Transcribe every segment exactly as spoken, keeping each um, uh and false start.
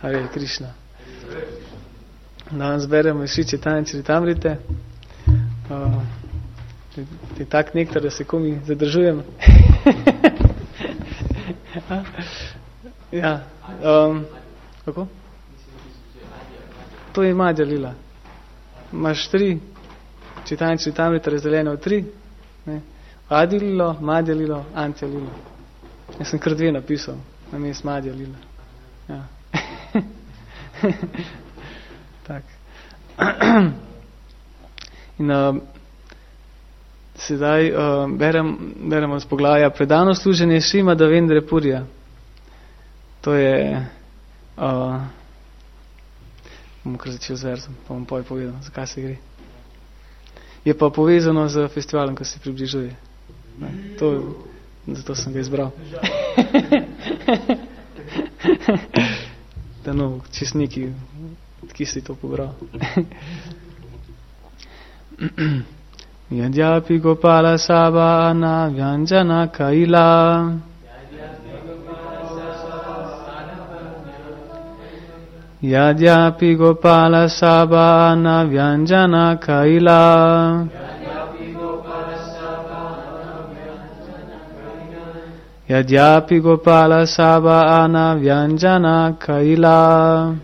Hare Krishna. Danes beremo iz Šri Chaitanya Charitamrite. Uh, je tak nektar, da se komi zadržujem. ja. Um, kako? To je Madhya Lila. Imaš tri, Chaitanya Charitamrite razdeljene v tri. Ne? Adi Lilo, Madhya Lilo, Antya Lilo. Jaz sem kar dve napisal, na mest Madhya Lila. Ja. tak. In uh, sedaj uh, berem, beremo z poglavja predano služenje Šrimada Vendra Purija. To je uh, bom kar začel z verzom, pa bom poj povedal, zakaj se gre. Je pa povezano z festivalom, ko se približuje. Ne, to, zato sem ga izbral. Da no, čist neki, ki si to pobral. Yadyapi Gopala Sabana Vyanjana Kaila Yadyapi Gopala Sabana Vyanjana Kaila Yadyapi Gopala Sabana Vyanjana Kaila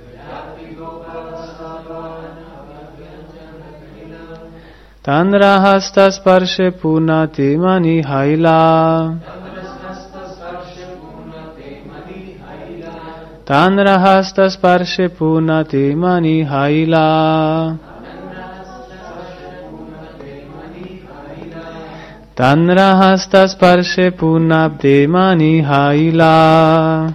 Tanrahasta Sparshe Punati Mani Haila Tanrahasta Sparshe Punati Mani Haila Tanrahasta Sparshe Punabde Mani Haila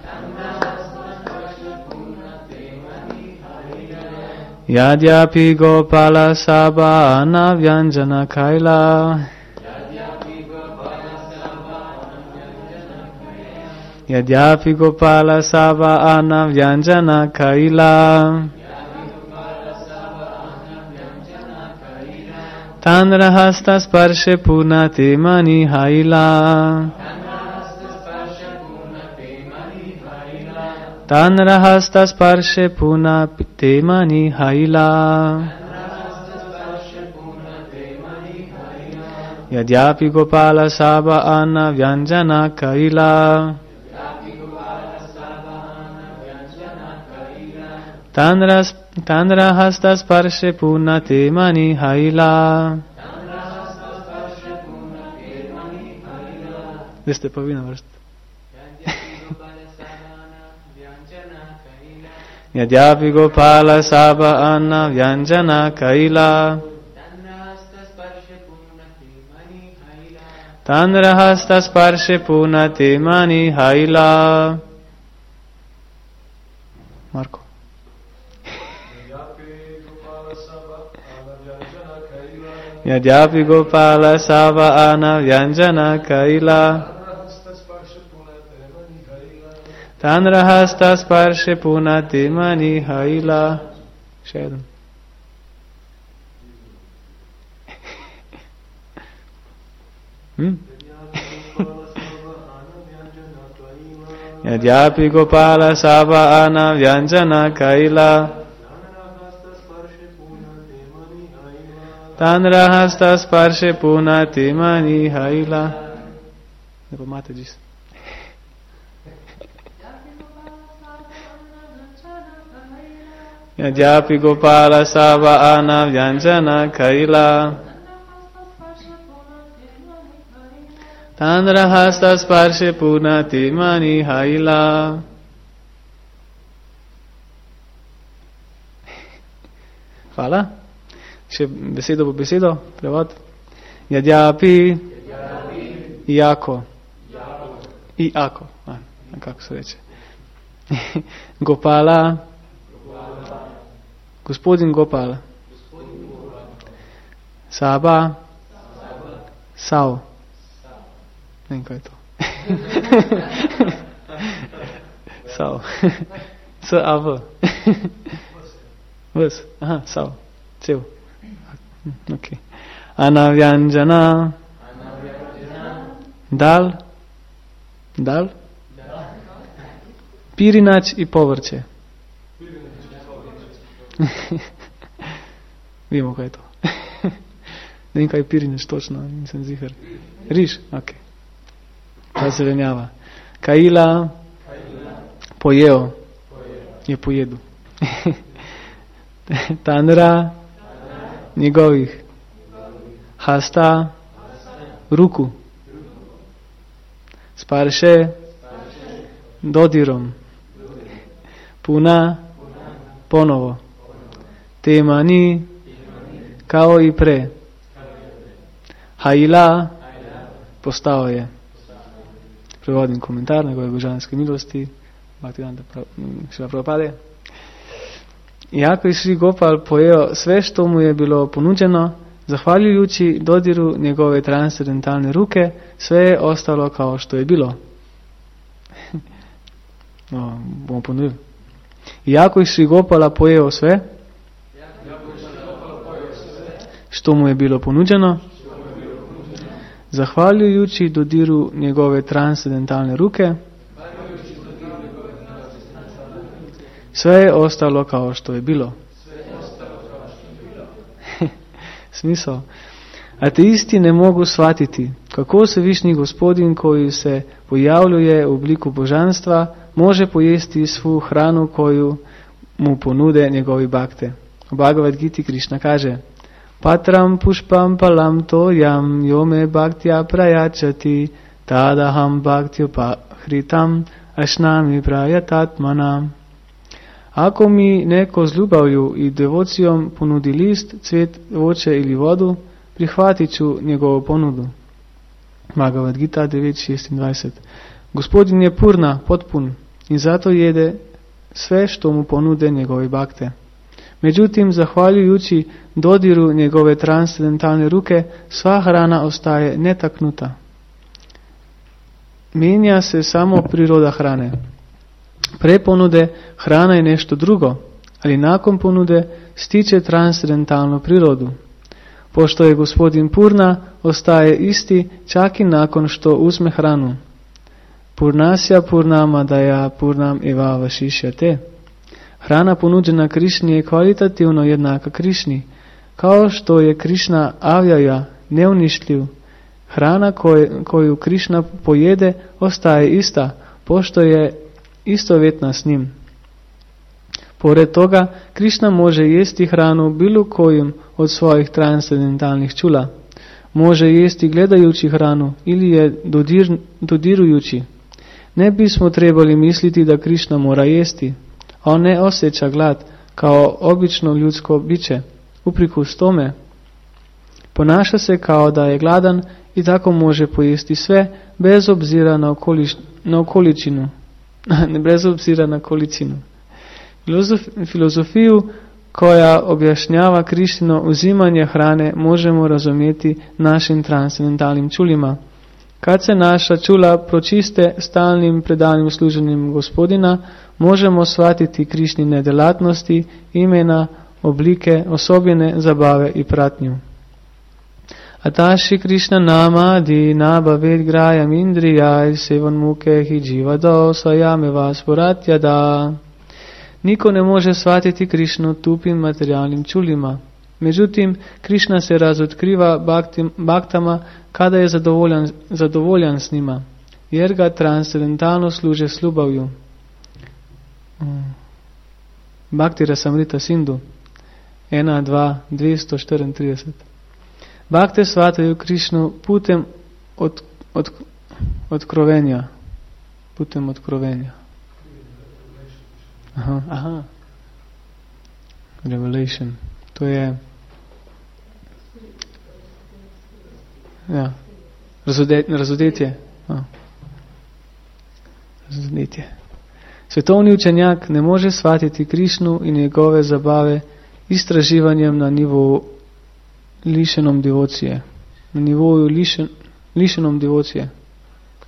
Yadyapi Gopala Sabana Vyanjana Kaila Yadyapi Gopala Sabana Vyanjana Kaila Tanrahasta Sparshe Punati Mani Haila Tanrahasta Sparshe Punati Mani Haila Yadyapi Gopala Sabana Vyanjana Kaila Tanrahasta Sparshe Punati Mani Haila. Zdaj ste pa vi na vrst. Yadyapi Gopala Sabana Vyanjana Kaila Tanrahasta Sparshe Punati Mani Haila. Marko. Yadyapi Gopala Sabana Vyanjana Kaila Tanrahasta Sparshe Punati Mani Haila. Še eden. Hmm? Yadyapi Gopala Sabana Vyanjana Kaila Tanrahasta Sparshe Punati Mani Haila. Ne pa imate džis. Yadyapi Gopala Sabana Vyanjana Kaila Tanrahasta Sparshe Punati Mani Haila. Hvala. Še besedo po besedo, prevod. Yadyapi Iako Iako a, kako se reče. Gopala Gospodin Gopala Saba Sao. Ne vem, kaj je to. Sao. S-A-V. Vas. Aha, Sao. Cel. Ok. Anavyanjana. Dal. Dal. Pirinač i povrće. Vemo, kaj je to. Ne vem, kaj je pirinč točno, nisem zihar. Riž, ok. Ta zelenjava. Kaila, pojeo, je pojedu. Tanra, njegovih. Hasta, ruku. Sparše, dodirom. Puna, ponovo. Temani, kao i pre. Haila, postao je. Prevodim komentar njegove božanske milosti. Bhaktivedanta Šrila Prabhupada. Iako je Šri Gopal pojeo sve što mu je bilo ponuđeno, zahvaljujući dodiru njegove transcendentalne ruke, sve je ostalo kao što je bilo. No, bomo ponovili. Iako je Šri Gopala pojeo sve, što mu je bilo ponuđeno, zahvaljujući dodiru njegove transcendentalne ruke, sve je ostalo kao što je bilo. Smisao. Ateisti ne mogu shvatiti kako se višnji gospodin koji se pojavljuje u obliku božanstva može pojesti svu hranu koju mu ponude njegovi bakte. U Bhagavad Giti Krišna kaže: Patram pušpam palam to jam yome bhaktya prayačati tadaham bhaktyopa hritam ašnami prayatatmanam. Ako mi neko z ljubavlju i devocijom ponudi list, cvet, voće ili vodu, prihvatit ću njegovu ponudu. Bhagavad Gita devet šestindvajset. Gospodin je purna, potpun i zato jede sve što mu ponude njegove bakte. Međutim, zahvaljujući dodiru njegove transcendentalne ruke, sva hrana ostaje netaknuta. Mijenja se samo priroda hrane. Pre ponude hrana je nešto drugo, ali nakon ponude stiče transcendentalnu prirodu. Pošto je gospodin Purna, ostaje isti čak i nakon što uzme hranu. Purnasya purnamadaya purnam eva vašišyate. Hrana ponuđena Krišni je kvalitativno jednaka Krišni. Kao što je Krišna avjaja neuništljiv, hrana koju, koju Krišna pojede ostaje ista, pošto je istovjetna s njim. Pored toga, Krišna može jesti hranu bilo kojim od svojih transcendentalnih čula. Može jesti gledajući hranu ili je dodir, dodirujući. Ne bismo trebali misliti da Krišna mora jesti. On ne osjeća glad kao obično ljudsko biće. Uprkos tome, ponaša se kao da je gladan i tako može pojesti sve bez obzira na, okoliš, na okoličinu. bez obzira na količinu. Filozof, filozofiju koja objašnjava Krištino uzimanje hrane možemo razumjeti našim transcendentalnim čulima. Kad se naša čula pročiste stalnim predanim služenjem Gospodina, možemo shvatiti Krišnine delatnosti, imena, oblike, osobine, zabave i pratnju. Ataši Krišna nama di nabaved grajam indrijaj sevan muke hi dživado svajame vas poratjada. Niko ne može shvatiti Krišnu tupim materijalnim čulima. Međutim, Krišna se razotkriva baktim, baktama kada je zadovoljan, zadovoljan s njima, jer ga transcendentalno služe s ljubavlju. Bhakti Rasamrita Sindhu ena, dva, dvjesto štiriintrideset. Bakte shvataju Krišnu putem od, od, otkrovenja. Putem otkrovenja. Aha, aha. Revelation. To je ja, razodetje. Razodetje. Razodetje. Svetovni učenjak ne može shvatiti Krišnu i njegove zabave istraživanjem na nivou lišenom devocije. Na nivoju lišen, lišenom devocije.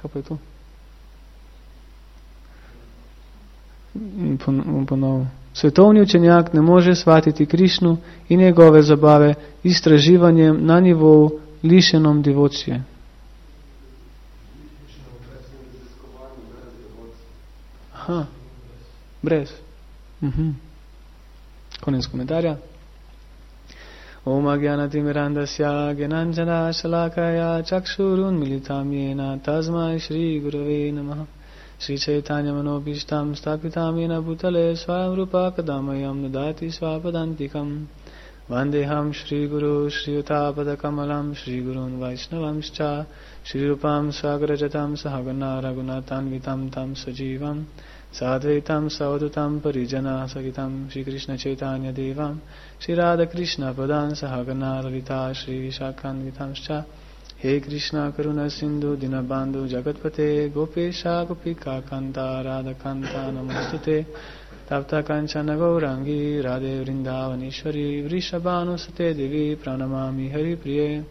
Kaj pa je to? Ponovo. Svetovni učenjak ne može shvatiti Krišnu i njegove zabave istraživanjem na nivou lišenom devocije. Aha, brez. Uh-huh. Konec komentarja. Om Agyanatimirandasya Gyananjana Shalakaya Chakshurun Militam Yena Tasmai Shri Gurave Namaha Shri Chaitanya Manobishtam Stapitam Yena Bhutale Swayam Rupa Kadamayam Nudati Swapadantikam Vandeham Shri Guru Shri Utapada Kamalam Shri Gurun Vaishnavamscha Shri Rupam Sagrajatam Sahagana Raghunatan Vitam Tam Sajivam Sadvaitam Savadutam Parijana Sagitam Shri Krishna Chaitanya Devam Shri Radha Krishna Padan Sahagana Lalita Shri Vishakan Vitamscha He Krishna Karuna Sindhu Dinabandhu Jagatpate Gopesha Gopika Kanta Radha Kanta Namostute Tapta Kanchana Gaurangi Radhe Vrindavanishwari Vrishabhanu Sate Devi Pranamami Hari Priye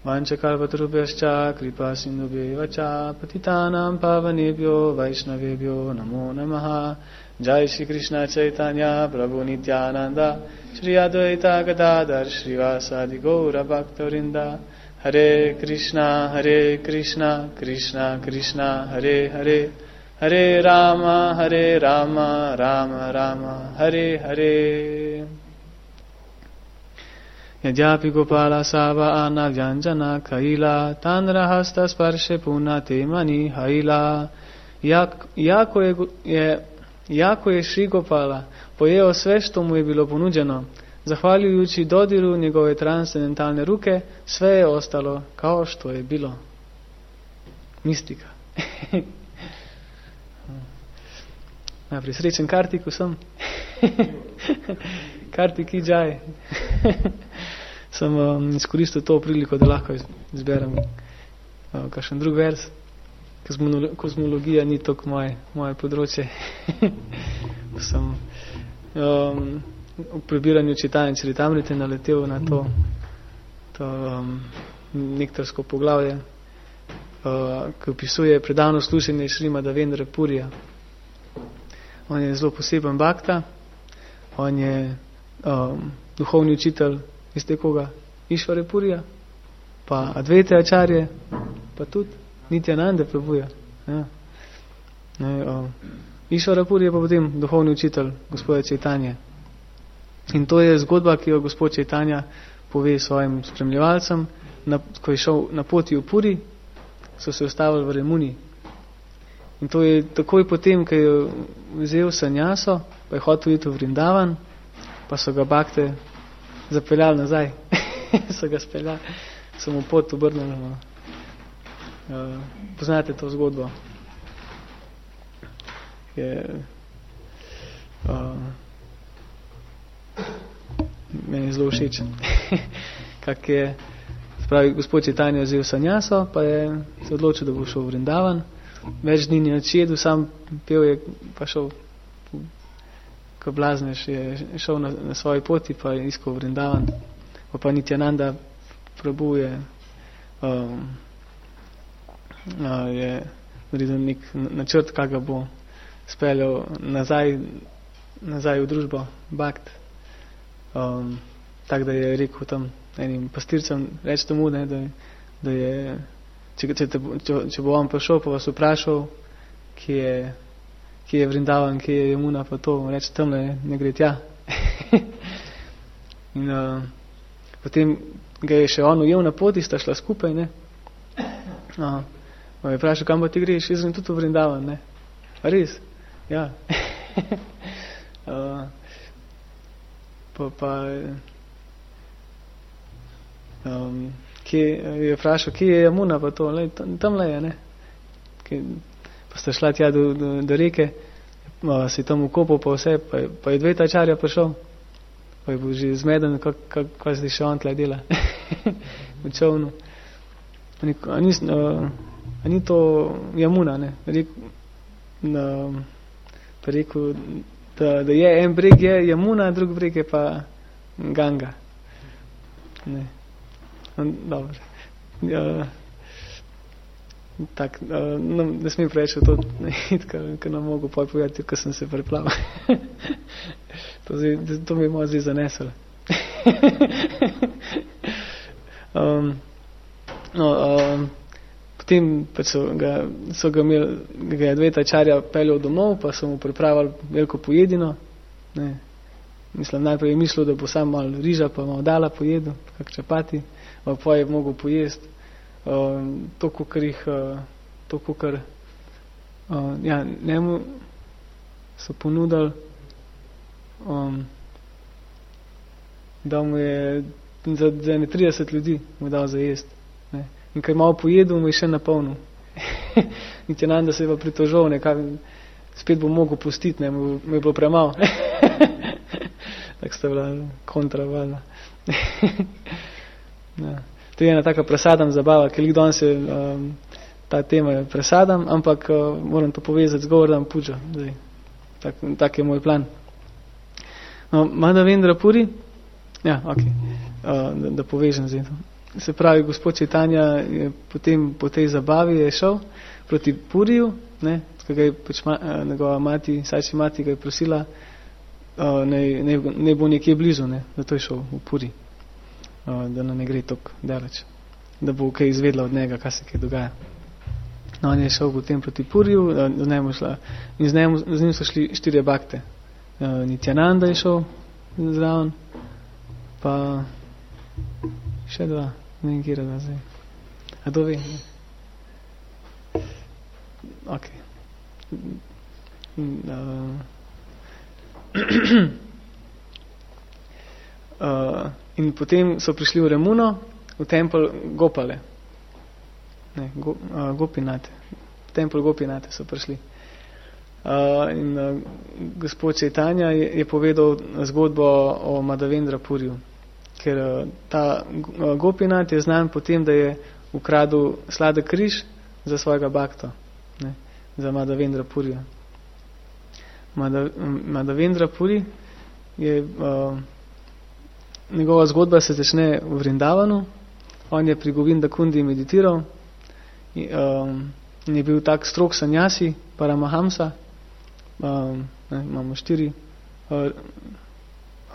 Vanchakalpatarubhyascha Kripa Sindhubhye Vacha Patitanam Pavanebhyo Vaishnavebhyo Namo Namaha Jai Shri Krishna Chaitanya Prabhu Nityananda Shri Advaita Gadadhar Srivasadi Gaura Bhaktarinda Hare Krishna Hare Krishna Krishna Krishna Hare Hare Hare Rama Hare Rama Rama Rama Hare Hare Yadyapi Gopala Sava Anavyanjana Kaila Tanrahasta Sparshe Punate Mani Haila. Jako je, je, jako je Šri Gopala pojeo sve što mu je bilo ponuđeno. Zahvaljujući dodiru njegove transcendentalne ruke, sve je ostalo kao što je bilo. Mistika. Najprej srečen Kartik vsem. Kartik Ijaj. Sem um, izkoristil to priliko, da lahko izberem uh, kakšen drug vers. Kozmologija ni toliko moje, moje področje. Sem um, v prebiranju čitanja Čaritamrite naletel na to, to um, nektarsko poglavje, uh, ki opisuje predavno slušanje Šrimada Vendra Purija. On je zelo poseben bhakta, on je um, duhovni učitelj iz koga? Išvare Purija, pa Advaita Acharya, pa tudi Nityananda Prabhuja. Ja. Um, Išvara Purija pa potem duhovni učitelj gospoda Chaitanya. In to je zgodba, ki jo gospod Chaitanya pove svojim spremljevalcem, na, ko je šel na poti v Puri, so se ustavili v Remuni. In to je takoj potem, ko je vzel sanjaso, pa je hotel iti v Vrindavan, pa so ga bakte zapeljali nazaj. So ga speljali, so mu pot obrnili. Uh, poznate to zgodbo? Je, uh, meni je zelo všeč. Kak je, spravi, gospod Chaitanya je vzel sanjaso, pa je se odločil, da bo šel v Vrindavan. Več dni ni odšedel, sam pel je, pa šel, ko blaznež, je šel na, na svoji poti, pa je iskal Vrindavan. Pa pa Nityananda Prabhu je, um, uh, je naredil nek načrt, kak ga bo speljal nazaj, nazaj v družbo Bhakt. Um, tak, da je rekel tam enim pastircem, reč tomu, ne, da, da je, če, če, te, če, če bo on prišel, pa vas vprašal, kje je, kje je Vrindavan, kje je Jamuna, pa to, reč tamle, ne gre tja. In uh, potem ga je še on ujel na poti, sta šla skupaj, ne. Uh, je vprašal, kam pa ti greš, jaz sem tudi v Vrindavan, ne. A res? Ja. uh, pa pa um, kje, je vprašal, kje je Jamuna, pa to, lej, tam, tamle je, ne. Kje, pa sta šla tja do, do, do reke, uh, si tam ukopal pa vse, pa je, pa je Advaita Acharya prišel. Pa je bil že zmeden, kaj se še on tle dela v čovnu. A ni, uh, a ni to Jamuna, ne? Rek, uh, pa rekel, da, da je en breg je Jamuna, drug breg je pa Ganga. Ne. Dobro. Uh, tak, uh, no, ne smem preveč v to, ker nam mogo poj povedati, ko sem se preplaval. To, to mi je malo zdaj zaneslo. um, no, um, potem pa so ga, so ga imeli, ga je Advaita Acharya peljal domov, pa so mu pripravili veliko pojedino, ne, mislim, najprej je mislil, da bo sam malo riža, pa malo dala pojedel, kak čapati, pa je mogel pojesti. Uh, to, kukar jih, uh, to, kukar, uh, ja, njemu so ponudili, um, da mu je za, za ne trideset ljudi mu dal za jest. Ne. In kaj malo pojedel, mu je še napolnil. Niti nam, da se je pa pritožil, nekaj, spet bo mogel pustiti, ne, mu, mu je bilo premalo. Tako sta bila kontra valjda. Ja. To je ena taka presadam zabava, ker lik danes je um, ta tema je presadam, ampak uh, moram to povezati z Govardhan Pujo. Tak, tak je moj plan. No, Madhavendra Puri, ja, ok, uh, da, da povežem zdaj to. Se pravi, gospod Chaitanya je potem po tej zabavi je šel proti Puriju, ne, kaj ga je pač ma, njegova mati, Sači mati ga je prosila, uh, ne, ne, ne bo nekje blizu, ne, zato je šel v Puri, uh, da ne gre toliko daleč, da bo kaj izvedla od njega, kaj se kaj dogaja. No, on je šel potem proti Puriju, uh, z njim šla, in z njim, z njim so šli štirje bakte. Uh, Nityananda je šel zraven, pa še dva. Ne vem, kje da zdaj. A to ve? Ok. Uh, uh, in potem so prišli v Remuno, v tempel Gopale. Ne, go, uh, Gopinate. V tempel Gopinate so prišli. Uh, in uh, gospod Chaitanya je, je povedal zgodbo o Madhavendra Puriju. Ker ta Gopinath je znan potem, da je ukradel sladek križ za svojega bakto, ne, za Madhavendra Purija. Madhavendra Puri je, uh, njegova zgodba se začne v Vrindavanu, on je pri Govinda Kundi meditiral in, um, in je bil tak strog sanjasi, Paramahamsa, um, ne, imamo štiri uh,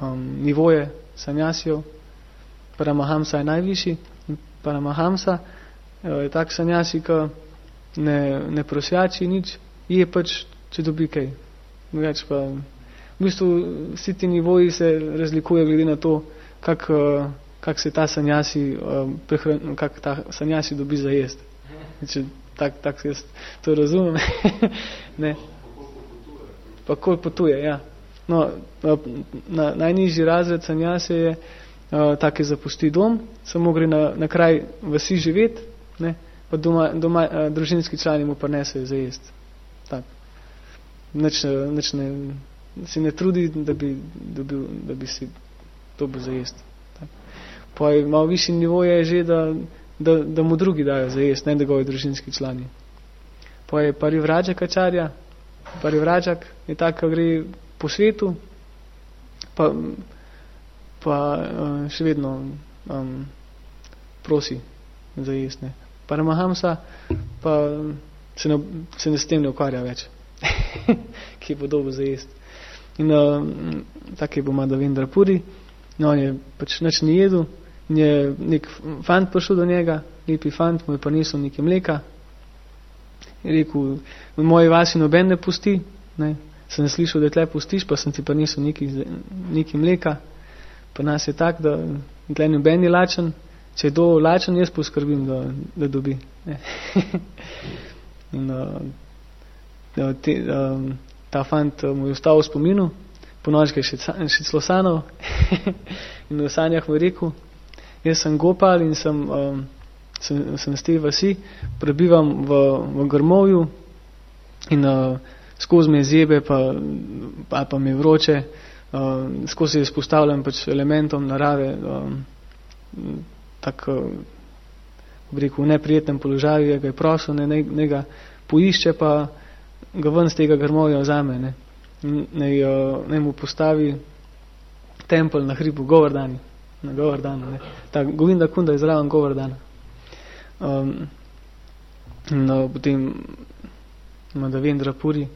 um, nivoje sanjasijev. Paramahamsa je najvišji. Paramahamsa je tak sanjasi, ki ne, ne prosjači nič, je pač, če dobi kaj. Več pa, v bistvu vsi ti nivoji se razlikuje glede na to, kak, kak se ta sanjasi, kak ta sanjasi dobi za jest. Če tak, tak jaz to razumem. Ne. Pa koliko potuje, ja. No, na, najnižji razred sanjase je uh, tak, je zapusti dom, samo gre na, na kraj vasi živeti, ne, pa doma, doma uh, družinski člani mu pa nesejo za jest. Tak. Nič, nič ne, si ne trudi, da bi, dobil, da bi si dobil za jest. Tak. Pa je malo višji nivo je že, da, da, da mu drugi dajo za jest, ne njegovi družinski člani. Pa je parivrađak ačarja, parivrađak je tak, ki gre po svetu, pa, pa uh, še vedno um, prosi za jest. Ne. Paramahamsa pa se, ne, se ne s tem ne ukvarja več, ki je podobo za jest. In uh, tak je bo Madhavendra Puri, no, on je pač nič ni jedel, in je nek fant prišel do njega, lepi fant, mu je pa nesel nekaj mleka, je rekel, v moji vasi noben ne pusti, ne, sem slišal, da tle pustiš, pa sem ti pa nisel nekaj mleka, pa nas je tak, da tle noben je lačen, če je do lačen, jaz poskrbim, da, da dobi. In uh, te, uh, ta fant mu je ostal v spominu, po noč ga je še, še celo sanal in v sanjah mu je rekel, jaz sem Gopal in sem, um, sem, sem z te vasi, prebivam v, v grmovju in uh, skozi me zjebe, pa, pa, pa me vroče, uh, skozi se izpostavljam pač elementom narave, um, tako v reku, v neprijetnem položaju, ga je prosil, ne, ne, ne ga poišče, pa ga ven z tega grmovja vzame, ne, ne, uh, ne mu postavi tempel na hribu Govardhani, na Govardhanu, ne, ta Govinda Kunda je zraven Govardhana. Um, no, potem Madhavendra Puri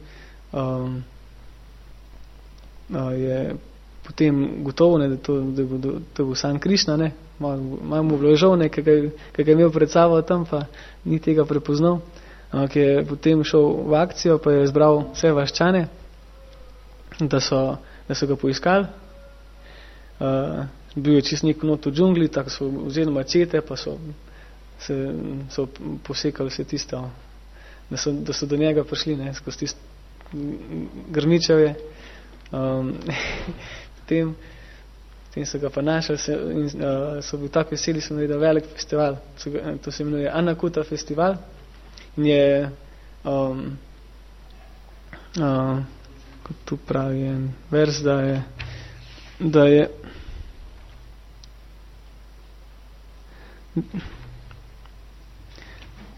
um, uh, je potem gotovo, ne, da to, da bo, to bo sam Krišna, ne, malo mu bilo žal, ne, kaj ga je imel pred sabo tam, pa ni tega prepoznal, uh, ki je potem šel v akcijo, pa je zbral vse vaščane, da so, da so ga poiskali uh, bil je čist nek not v džungli, tako so vzeli mačete, pa so, se, so posekali vse tisto, da so, da so do njega prišli, ne, skozi tisto grmičevje. Um, potem, potem so ga pa našli se, in uh, so bili tako veseli, so naredili velik festival, so, to se imenuje Anakuta festival, in je um, uh, kot tu pravi en vers, da je da je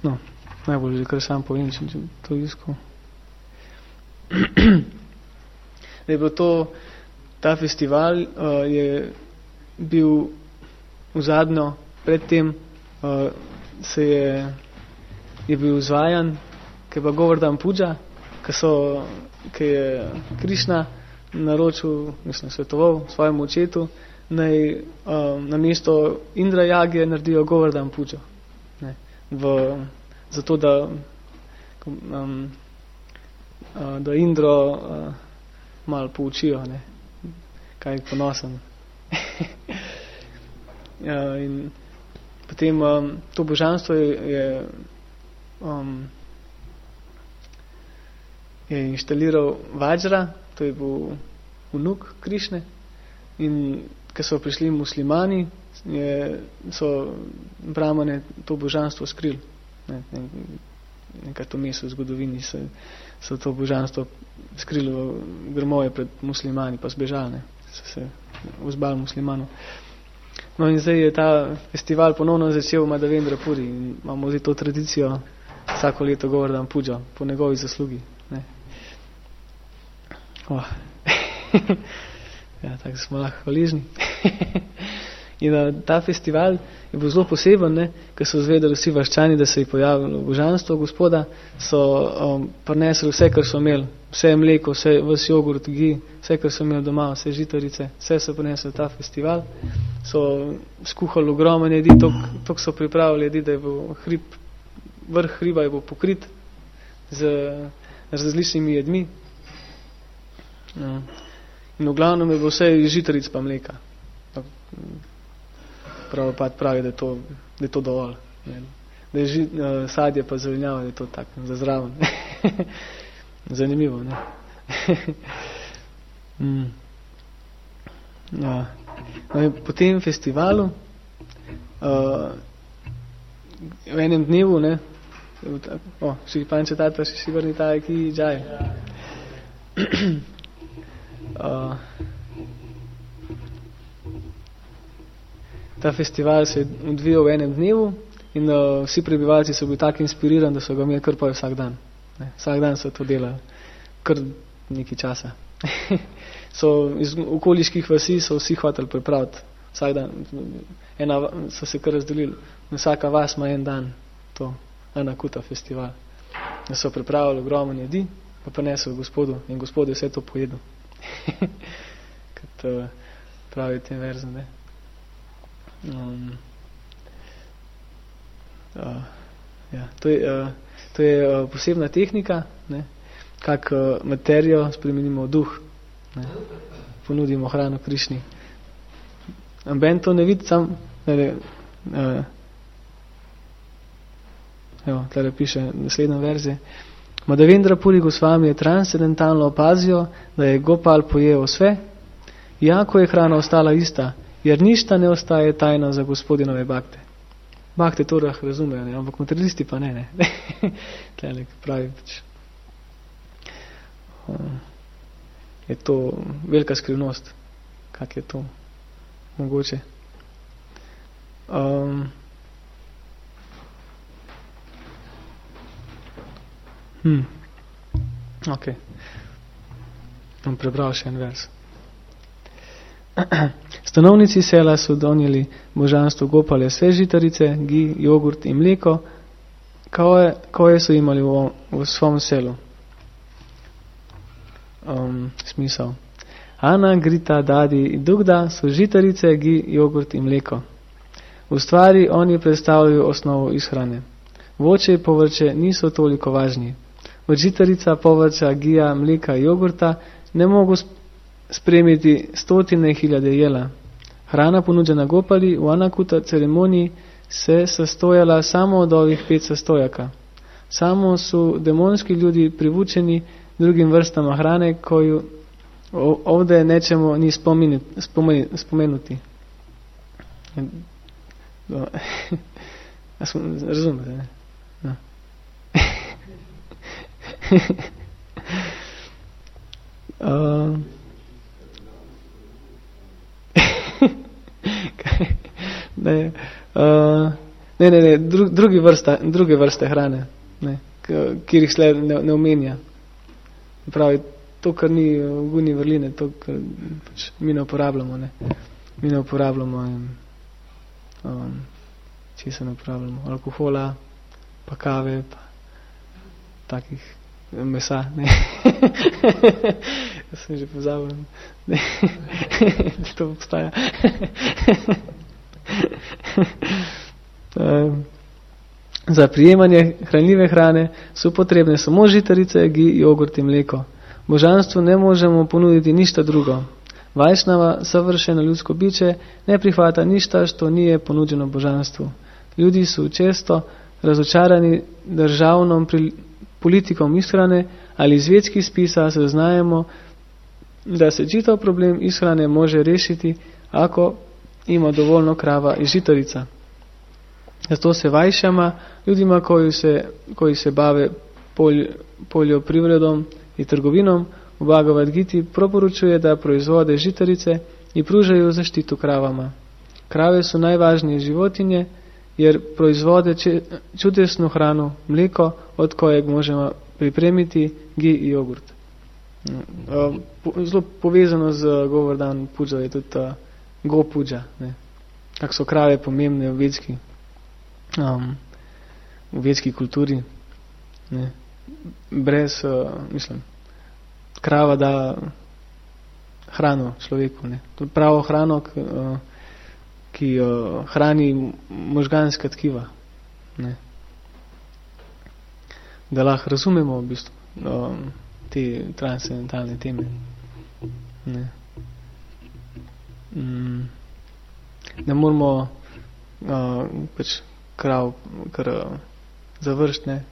no, najbolj že kar sam povem, če to iskal. Da je bilo to, ta festival uh, je bil vzadnjo, predtem uh, se je, je bil izvajan, ki je pa Govardhan Puja, ki so, ki je Krišna naročil, mislim, svetoval svojemu očetu, naj um, na mesto Indra jage naredijo Govardhan Pujo. Ne, v, zato, da um, uh, da Indro uh, malo poučijo, ne, kaj je ponosen. Ja, in potem um, to božanstvo je, je, um, je inštaliral Vajra, to je bil vnuk Krišne, in ko so prišli muslimani, je, so brahmane to božanstvo skrili. Ne, ne, nekaj to mesto v zgodovini se, so to božanstvo skrili v grmoje pred muslimani, pa zbežali, ne, so se vzbali muslimanov. No in zdaj je ta festival ponovno začel v Madhavendra Puri in imamo zdaj to tradicijo vsako leto Govardhan Pujo po njegovi zaslugi. Ne. Oh. Ja, tako smo lahko hvaležni. In uh, ta festival je bil zelo poseben, ne, ker so zvedeli vsi vaščani, da se je pojavilo božanstvo Gospoda, so um, prinesli vse, kar so imeli, vse mleko, vse, vse jogurt, gi, vse, kar so imeli doma, vse žitarice, vse so prinesli ta festival, so skuhali ogromno jedi, toliko so pripravili jedi, da je bil hrib, vrh hriba je bil pokrit z različnimi jedmi. Ja. In v glavnem je bilo vse žitaric pa mleka. Pravopat pravi, da je to, da je to dovolj. Ne. Da je žit, uh, sadje pa zelenjava, da je to tako, za zraven. Zanimivo, ne? mm. Ja. No, po tem festivalu uh, v enem dnevu, ne, o, še panče tata, še si vrni taj, ki džaj. Uh, ta festival se je odvijal v enem dnevu in uh, vsi prebivalci so bili tako inspirirani, da so ga imeli kar pa vsak dan. Ne, vsak dan so to delali, kar nekaj časa. So iz okoliških vasi so vsi hoteli pripraviti vsak dan. Ena, so se kar razdelili. Vsaka vas ima en dan to Anakuta festival. Da so pripravili ogromno jedi, pa prinesli Gospodu in Gospod je vse to pojedel. Kot uh, pravi tem verzem, ne. Um, uh, ja, to je, uh, to je uh, posebna tehnika, ne, kak uh, materijo spremenimo v duh, ne, ponudimo hrano Krišni. Amben to ne vidi sam, ne, uh, evo, tlele piše naslednja verzija. Madhavendra Puri Gosvami je transcendentalno opazio, da je Gopal pojeo sve, jako je hrana ostala ista, jer ništa ne ostaje tajno za Gospodinove bakte. Bakte to rah razumejo, ne? Ampak materialisti pa ne, ne. Tlele, pravi, pač, um, je to velika skrivnost, kak je to mogoče. Um, Hmm. Ok. Bom prebral še en vers. Stanovnici sela so donijeli božanstvo Gopale sve žitarice, gi, jogurt in mleko, koje, koje so imali v, v svom selu. Um, smisel. Ana, Grita, Dadi in Dugda so žitarice, gi, jogurt in mleko. V stvari oni predstavljajo osnovo izhrane. Voće in povrće niso toliko važni. Od žitarica, povrća, gija, mleka, jogurta ne mogu spremiti stotine hiljade jela. Hrana ponuđena Gopali v Anakuta ceremoniji se sastojala samo od ovih pet sastojaka. Samo su demonski ljudi privučeni drugim vrstama hrane koju ovdje nećemo ni spomenuti. spomenuti. Razumete, ne? No. uh, ne, uh, ne, ne, ne dru, drugi vrsta, druge vrste hrane, ne, kjer jih sled ne, ne omenja. Pravi, to, kar ni v guni vrline, to, kar pač mi ne uporabljamo, ne. Mi ne uporabljamo in, um, če se ne uporabljamo, alkohola, pa kave, pa takih mesa, ne. Jaz sem že pozabil, ne. To obstaja. um, za prijemanje hranljive hrane so potrebne samo žitarice, gi, jogurt in mleko. Božanstvu ne možemo ponuditi ništa drugo. Vajšnava, savršeno ljudsko biće, ne prihvata ništa, što nije ponuđeno božanstvu. Ljudi su često razočarani državnom pri, politikom ishrane ali iz vjetskih spisa saznajemo, da se čitav problem ishrane može rešiti, ako ima dovoljno krava i žitarica. Zato se vajšama, ljudima koji se, koji se bave polj, poljoprivredom i trgovinom, u Bhagavad Giti proporučuje da proizvode žitarice i pružaju zaštitu kravama. Krave su najvažnije životinje, jer proizvode čudesnu hranu, mleko, od kojeg možemo pripremiti gi i jogurt. Zelo povezano z govor dan puđa je tudi uh, go puđa, ne. Kako so krave pomembne v vedski, um, v vedski kulturi. Ne. Brez, uh, mislim, krava da hrano človeku. Ne. To je pravo hrano, k, uh, ki uh, hrani možganska tkiva. Ne. Da lahko razumemo v bistvu um, te transcendentalne teme. Ne, mm. ne moramo uh, pač krav kar uh, završiti, ne.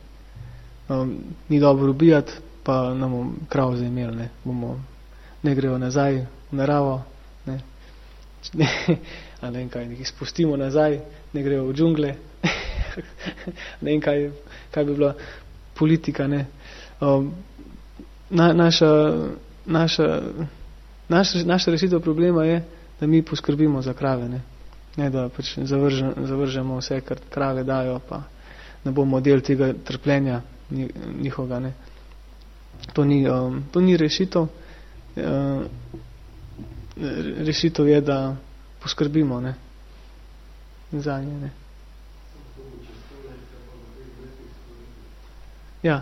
Um, ni dobro ubijati, pa nam krav zaimeli, ne. Bomo, ne grejo nazaj v naravo, ne. Ne, a ne vem kaj, nekaj spustimo nazaj, ne grejo v džungle, ne vem kaj, kaj bi bila politika, ne. Um, na, naša, naša, naša, naša rešitev problema je, da mi poskrbimo za krave, ne. Ne, da pač zavržem, zavržemo vse, kar krave dajo, pa ne bomo del tega trpljenja njihoga, ne. To ni, um, to ni rešitev. Uh, rešitev je, da poskrbimo, ne, za nje, ne. Ja.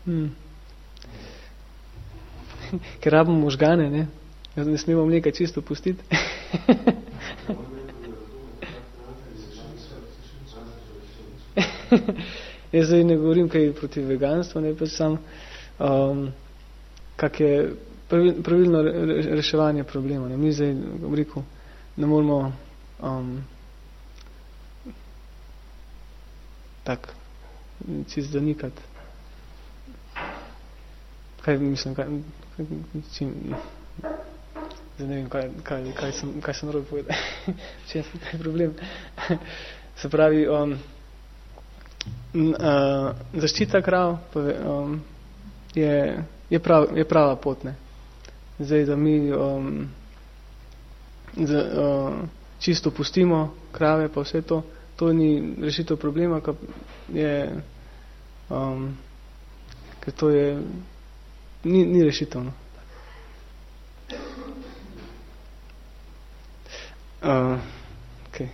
Hmm. Ker rabimo možgane, ne. Ne smemo mleka čisto pustiti. Jaz zdaj ne govorim kaj proti veganstvu, ne, pa sam um, kak je pravil, pravilno reševanje problema. Ne. Mi zdaj, bom rekel, ne moramo um, tak čist zanikati. Kaj mislim, kaj, kaj, čim, zdaj ne vem, kaj, kaj, kaj sem, kaj sem narobe povedal. Če je kaj problem. Se pravi, um, uh, zaščita krav um, je, je, prav, je prava pot, ne. Zdaj, da mi um, z, uh, čisto pustimo krave pa vse to, to ni rešitev problema, ker je um, ker to je ni, ni rešitev, no. Uh, okay.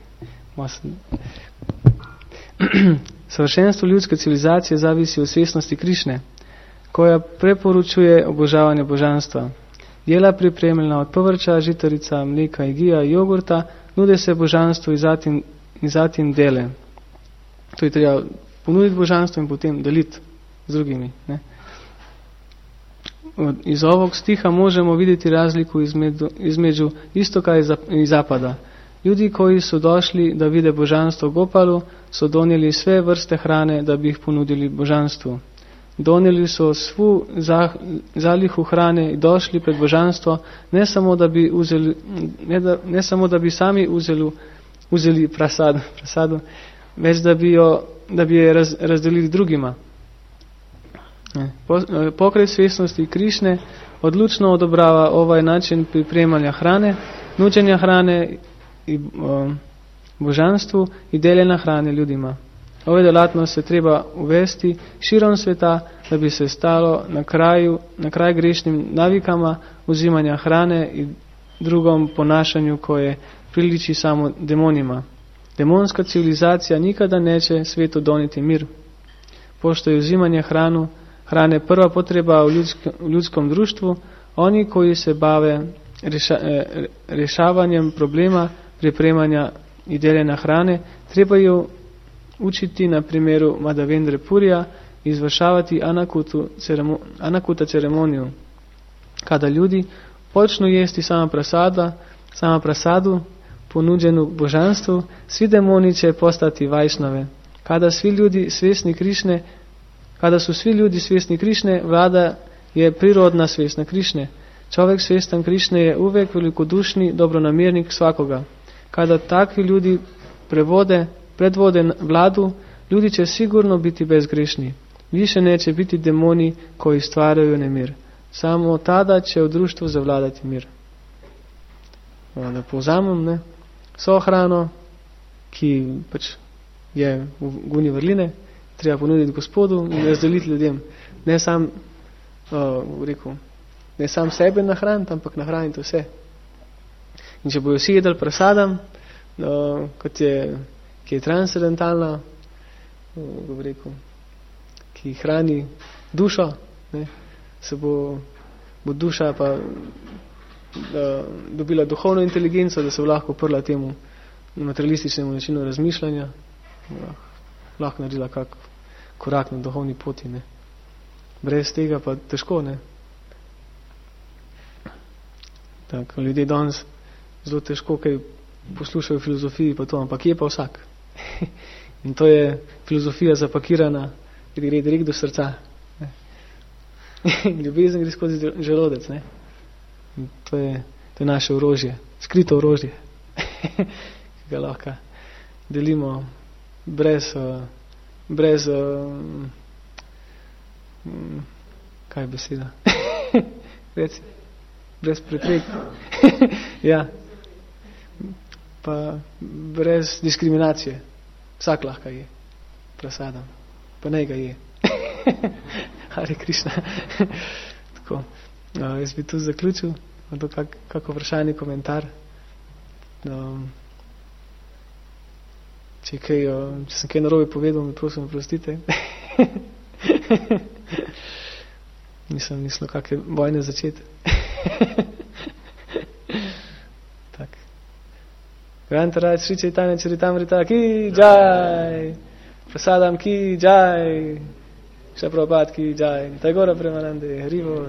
Savršenstvo ljudske civilizacije zavisi od svestnosti Krišne, koja preporučuje obožavanje božanstva. Jela pripremljena od povrća, žitarica, mleka, igija, jogurta, nude se božanstvu in zatim, in zatim dele. To je treba ponuditi božanstvo in potem deliti z drugimi. Ne? iz ovog stiha možemo vidjeti razliku između, između istoka i zapada. Ljudi koji su došli da vide božanstvo Gopalu su donijeli sve vrste hrane da bi ih ponudili božanstvu. Donijeli su svu zalihu hrane i došli pred božanstvo ne samo da bi, uzeli, ne da, ne samo da bi sami uzeli, uzeli prasadu, prasadu, već da bi, jo, da bi je raz, razdelili drugima. Pokret svjesnosti Krišne odlučno odobrava ovaj način pripremanja hrane, nuđenja hrane i o, božanstvu i deljenja hrane ljudima. Ove djelatnost se treba uvesti širom sveta da bi se stalo na kraju, na kraj grešnim navikama uzimanja hrane i drugom ponašanju koje priliči samo demonima. Demonska civilizacija nikada neće svijetu donijeti mir. Pošto je uzimanje hranu, hrane prva potreba u ljudskom, u ljudskom društvu, oni koji se bave reša, rješavanjem problema pripremanja i deljenja hrane trebaju učiti na primjeru Madhavendra Purija i izvršavati anakutu ceremo, anakuta ceremoniju. Kada ljudi počnu jesti sama prasada, sama prasadu ponuđenu božanstvu, svi demoni će postati vajšnave. Kada svi ljudi svjesni Krišne, kada su svi ljudi svjesni Krišne, vlada je prirodna svjesna Krišne. Čovjek svjestan Krišne je uvijek velikodušni dobronamjernik svakoga. Kada takvi ljudi prevode, predvode vladu, ljudi će sigurno biti bezgrešni. Više neće biti demoni koji stvaraju nemir. Samo tada će u društvu zavladati mir. Da povzamem, ne? So hrano, ki pač je v guni vrline, treba ponuditi Gospodu in razdeliti ljudem. Ne sam, uh, rekel, ne sam sebe nahraniti, ampak nahraniti vse. In če bojo vsi jedli prasadam, uh, kot je, ki je transcendentalna, uh, rekel, ki hrani dušo, ne, se bo, bo duša pa uh, dobila duhovno inteligenco, da se bo lahko prla temu materialističnemu načinu razmišljanja, uh, lahko naredila kak korak na duhovni poti. Ne. Brez tega pa težko. Ne. Tako, ljudje danes zelo težko, kaj poslušajo filozofiji, pa to, ampak je pa vsak. In to je filozofija zapakirana, gre direkt do srca. Ne. Ljubezen gre skozi želodec. Ne. To je, to je naše orožje, skrito orožje, ki ga lahko delimo brez, brez kaj je beseda? Reci, brez preprek. Ja. Pa brez diskriminacije. Vsak lahko je prasadam. Pa naj ga je. Hare Krišna. Tako. Uh, jaz bi tu zaključil. To kak, kako vprašanje, komentar. Um, če, kaj, uh, če sem kaj narobe povedal, mi prosim, prostite. Nisem mislil, kakve vojne začeti. Tak. Grantaraj Sri Chaitanya Charitamrita ki jai. Prasadam ki jai. Shri Prabhupada ki jai. Tagora Premanande Haribo.